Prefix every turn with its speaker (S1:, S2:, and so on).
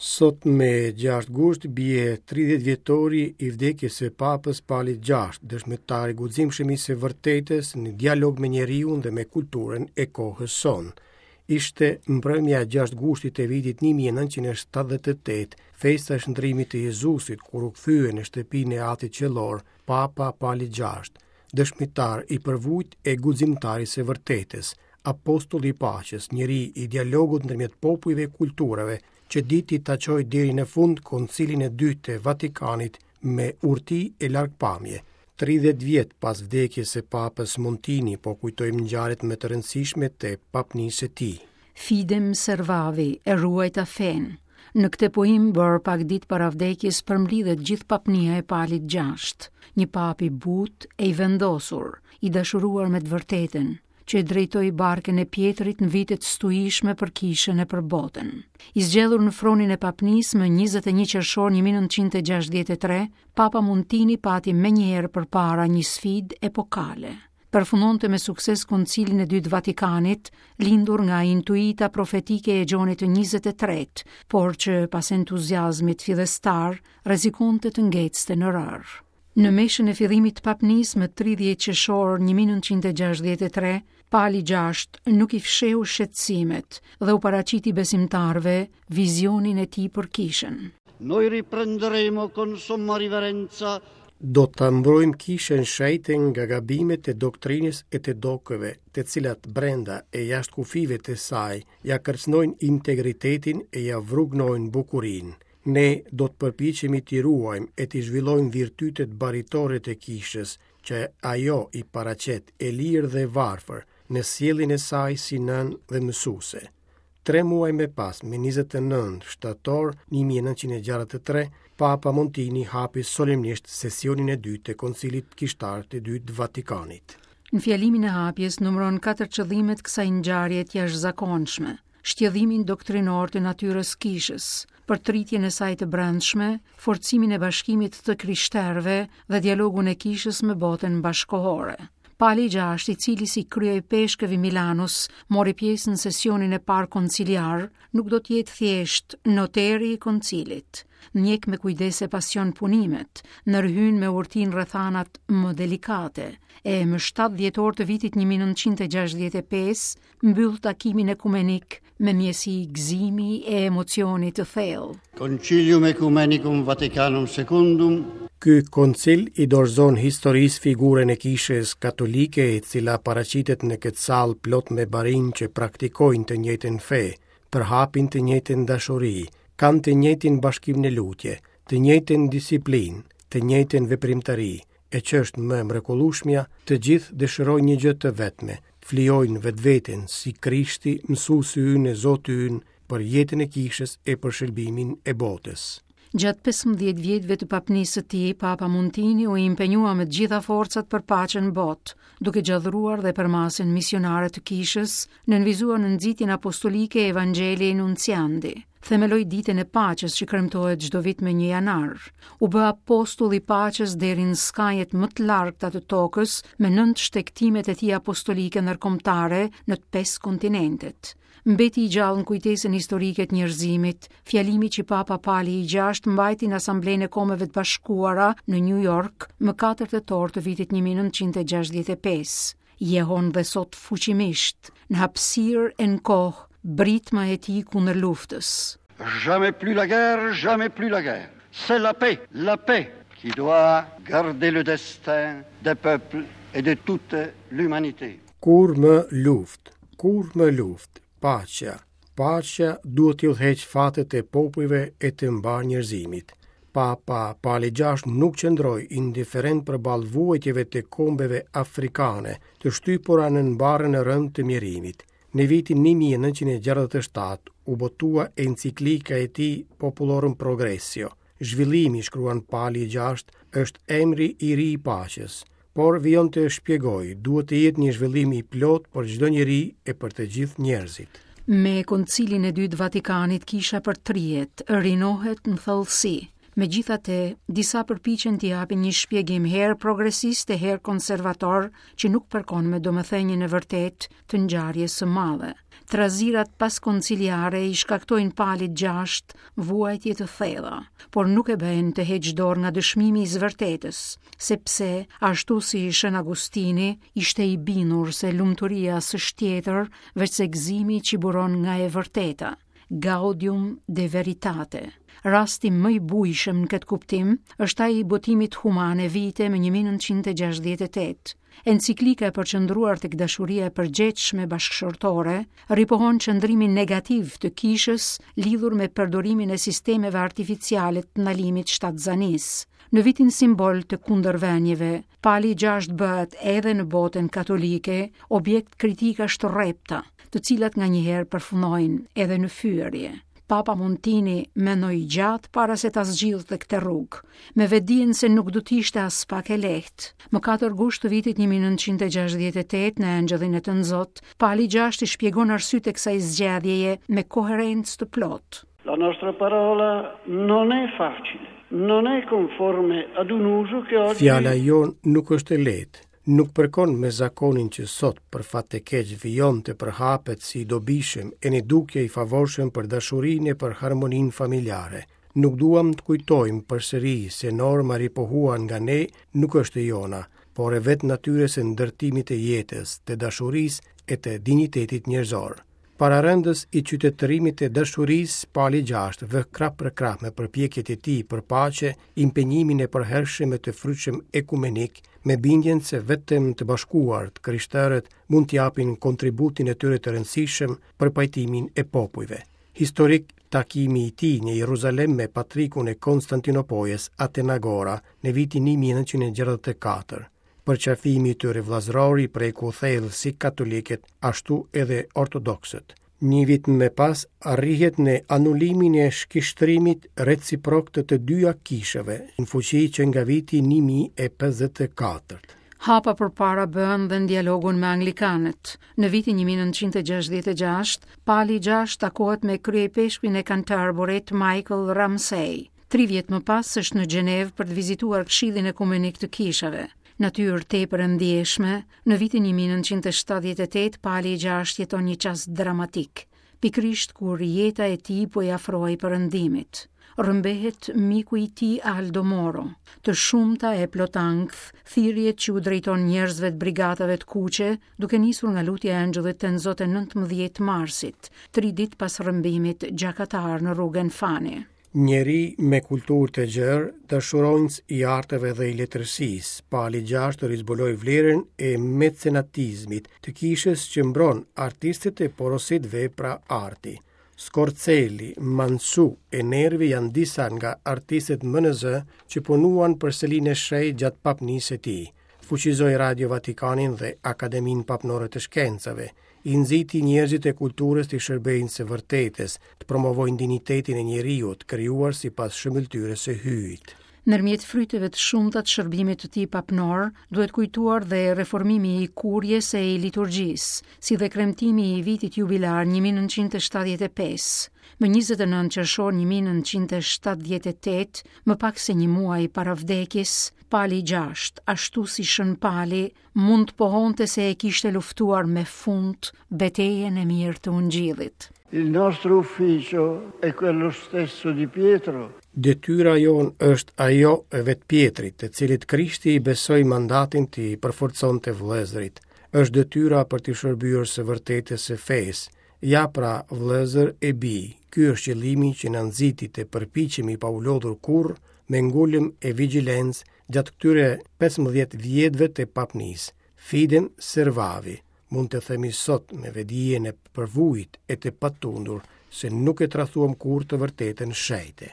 S1: Sot me 6 gusht bie 30 vjetori i vdekjes së Papës Palit VI, dëshmitar i guximshëm i së vërtetës në dialog me njeriun dhe me kulturën e kohës sonë. Ishte mbrëmja e 6 gushtit të vitit 1978, festa e shndrimit të Jezusit, kur u kthye në shtëpinë e Atit Qiellor, Papa Pali VI, dëshmitar i përvujt e guximtar i së vërtetës, apostull i paqes, njeri i dialogut ndërmjet popujve e kulturave, që diti ta çojë deri në fund Koncilin e Dytë të Vatikanit me urti e largpamje. 30 vjet pas vdekjes së Papës Montini, po kujtojmë ngjarjet më të rëndësishme të papnisë së
S2: tij. Fidem servavi, e ruajta fenë. Në këtë pohim bërë pak ditë para vdekjes përmblidhet gjithë papnia e Palit VI, një papë i butë e i vendosur, i dashuruar me të vërtetën, që e drejtoi barkën e Pjetrit në vite të stuhishme për kishën e për botën. I zgjedhur në fronin e papnisë më 21 qershor 1963, Papa Montini pati menjëherë përpara një sfidë epokale. Përfundonte me sukses Koncilin e Dytë Vatikanit, lindur nga intuita profetike e Gjonit të 23, por që pas entuziazmit fillestar rrezikonte të ngecte në rërë. Në meshën e fillimit të papnisë më 30 qershor 1963, Pali VI nuk i fshehu shqetësimet dhe u paraqiti besimtarëve vizionin e tij për
S3: kishën. Noi riprenderemo con somma riverenza
S1: Do ta mbrojmë kishën shenjte nga gabimet e doktrinës e të dokëve, të cilat brenda e jashtë kufijve të saj ia kërcënojnë integritetin e ia vrugnojnë bukurinë. Ne do të përpiqemi t'i ruajmë e t'i zhvillojmë virtytet baritore të kishës, që ajo i paraqet e lirë dhe e varfër në sjelljen e saj si nënë dhe mësuese. Tre muaj më pas, më 29 shtator 1963, Papa Montini hapi solemnisht sesionin e dytë të Koncilit Kishtar të Dytë të Vatikanit.
S2: Në fjalimin e hapjes numëron katër qëllime të kësaj ngjarje të jashtëzakonshme: shtjellimin doktrinor të natyrës kishës, përtëritjen e saj të brendshme, forcimin e bashkimit të krishterëve dhe dialogun e kishës me botën bashkëkohore. Pali i gjashtë, i cili si kryeipeshkëv i Milanos mori pjesë në sesionin e parë konciliar, nuk do të jetë thjesht noteri i koncilit. Ndjek me kujdes e pasion punimet, ndërhyn me urti në rrethanat më delikate, e më 7 dhjetor të vitit 1965 mbyll takimin ekumenik me ndjesi gëzimi e emocioni të
S3: thellë. Concilium Ecumenicum Vaticanum Secundum
S1: Ky koncil i dorëzon historisë figurën e Kishës Katolike, e cila paraqitet në këtë sallë plot me barinj që praktikojnë të njëjtën fe, përhapin të njëjtën dashuri, kanë të njëjtin bashkim në lutje, të njëjtën disiplinë, të njëjtën veprimtari, e që është më e mrekullueshmja, të gjithë dëshirojnë një gjë të vetme, të flijojnë vetveten si Krishti, mësuesi ynë e Zoti ynë për jetën e kishës e për shërbimin e botës.
S2: Gjatë 15 vjetëve të papnisë së tij, Papa Montini u impenjua me të gjitha forcat për paqen në botë, duke gjallëruar dhe përmasën misionare të kishës, nënvizuar në nxitjen apostolike Evangelii Nuntiandi. Themeloi ditën e paqes që kremtohet çdo vit më 1 janar. U bë apostull i paqes deri në skajet më të largëta të tokës me nëntë shtegtimet e tij apostolike ndërkombëtare në të pesë kontinentet. Mbeti i gjallë në kujtesën historike të njerëzimit, fjalimi që Papa Pali i gjashtë mbajti në Asamblenë e Kombeve të Bashkuara në New York më 4 tetor të vitit 1965. Jehon dhe sot fuqimisht, në hapësirë e në kohë, britma e tij kundër
S3: luftës. Jamais plus la guerre, jamais plus la guerre. C'est la paix, la paix qui doit garder le destin des peuples et de toute l'humanité.
S1: Kurrë më luftë, kurrë më luftë, paqja, Paqja duhet t'i udhëheqë fatet e popujve e të mbarë njerëzimit. Papa Pali VI nuk qëndroi indiferent përballë vuajtjeve të kombeve afrikane, të shtypura nën barrën e rëndë të mjerimit. Në vitin 1967 u botua enciklika e tij Populorum Progressio. Zhvillimi, shkruan Pali i gjashtë, është emri i ri i paqes. Por vijon të shpjegojë, duhet të jetë një zhvillim i plotë për çdo njeri e për të gjithë
S2: njerëzit. Me Koncilin e Dytë Vatikanit kisha përtrihet, rinohet në thellësi. Megjithatë, disa përpiqen t'i japin një shpjegim herë progresist e herë konservator që nuk përkon me domethënien e vërtetë të ngjarjes së madhe. Trazirat paskonciliare i shkaktojnë Palit gjashtë vuajtje të thella, por nuk e bëjnë të heqë dorë nga dëshmimi i së vërtetës, sepse, ashtu si Shën Agustini, ishte i bindur se lumturia s'është tjetër veçse gëzimi që buron nga e vërteta. Gaudium de Veritate. Rasti më i bujshëm në këtë kuptim është ai i botimit Humanae Vitae më 1968. Enciklika e përqendruar tek dashuria e përgjegjshme bashkëshortore ripohon qëndrimin negativ të kishës lidhur me përdorimin e sistemeve artificiale të ndalimit shtatzanisë. Në vitin simbol të kundërvënieve, Pali i gjashtë bëhet edhe në botën katolike objekt kritikash të rrepta, të cilat nganjëherë përfundojnë edhe në fyerje. Papa Montini mendoi gjatë para se ta zgjidhte këtë rrugë, me vetëdijen se nuk do të ishte aspak e lehtë. Më 4 gusht të vitit 1968 në Engjëllin e Tënzot, Pali i gjashtë i shpjegon arsyet e kësaj zgjedhjeje me koherencë të plotë.
S3: La nostra parola non è facile, non è conforme ad un uso che oggi
S1: Fjala jonë nuk është e lehtë, nuk përkon me zakonin që sot për fat të keq vijon të përhapet si i dobishëm e në dukje i favorshëm për dashurinë e për harmoninë familjare. Nuk duam të kujtojmë përsëri se norma e ripohuar nga ne nuk është e jona, por e vetë natyrës së ndërtimit të jetës, të dashurisë e të dinjitetit njerëzor. Pararendës i qytetërimit të dashurisë, Pali gjashtë vë krah për krah me përpjekjet e tij për paqe, impenjimin e përhershëm e të frytshëm ekumenik, me bindjen se vetëm të bashkuar të krishterët mund të japin kontributin e tyre të rëndësishëm për pajtimin e popujve. Historik takimi i tij në Jeruzalem me patrikun e Konstantinopojës, Atenagora, në vitin 1964. Përqafimi i tyre vëllazëror i preku thellë si katolikët, ashtu edhe ortodoksët. Një vit më pas arrihet në anulimin e shkishtrimit reciprok të të dyja kishave, në fuqi që nga viti 1054.
S2: Hapa përpara bëhen dhe në dialogun me anglikanët. Në vitin 1966, Pali i gjashtë takohet me kryeipeshkvin e Canterburyt, Michael Ramsey. Tri vjet më pas është në Gjenevë për të vizituar Këshillin Ekumenik të Kishave. Natyrë tepër e ndjeshme, në vitin 1978 Pali i gjashtë jeton një çast dramatik, pikërisht kur jeta e tij po i afrohej perëndimit. Rrëmbehet miku i tij Aldo Moro. Të shumta e plot ankth, thirrjet që u drejton njerëzve të brigatave të kuqe, duke nisur nga lutja e Engjëllit Tënzot e 19 marsit, tri ditë pas rrëmbimit gjakatar në rrugën Fani.
S1: Njeri me kulturë të gjerë, dashuronjës i arteve dhe i letërsisë, Pali gjashtë rizbuloi vlerën e mecenatizmit të kishës që mbron artistët e porosit vepra arti. Scorzelli, Mansu e Nervi janë disa nga artistët më në zë që punuan për Selinë e Shenjtë gjatë papnisë së tij. Fuqizoi Radio Vatikanin dhe Akademinë Papnore të Shkencave, i nxiti njerëzit e kulturës t'i shërbejnë së vërtetës, të promovojnë dinjitetin e njeriut, krijuar sipas shëmbëlltyrës së Hyjit.
S2: Ndërmjet fryteve të shumta të shërbimit të tij papnor, duhet kujtuar dhe reformimi i kuries e i liturgjisë, si dhe kremtimi i vitit jubilar 1975. Më 29 qershor 1978, më pak se një muaj para vdekjes, Pali i gjashtë, ashtu si Shën Pali, mund të pohonte se e kishte luftuar me fund betejën e mirë të Ungjillit.
S3: Il nostro ufficio è quello stesso di Pietro.
S1: Detyra jonë është ajo e vetë Pjetrit, të cilit Krishti i besoi mandatin t'i përforconte vëllezërit. Është detyra për t'i shërbyer së vërtetës së fesë. Ja pra, vëllezër e bij, ky është qëllimi që na nxiti të përpiqemi pa u lodhur kurrë me ngulm e vigjilencë gjatë këtyre 15 vjetëve të papnisë. Fidem servavi, mund të themi sot me vetëdijen e përvujtë e të patundur se nuk e tradhtuam kurrë të vërtetën shenjte.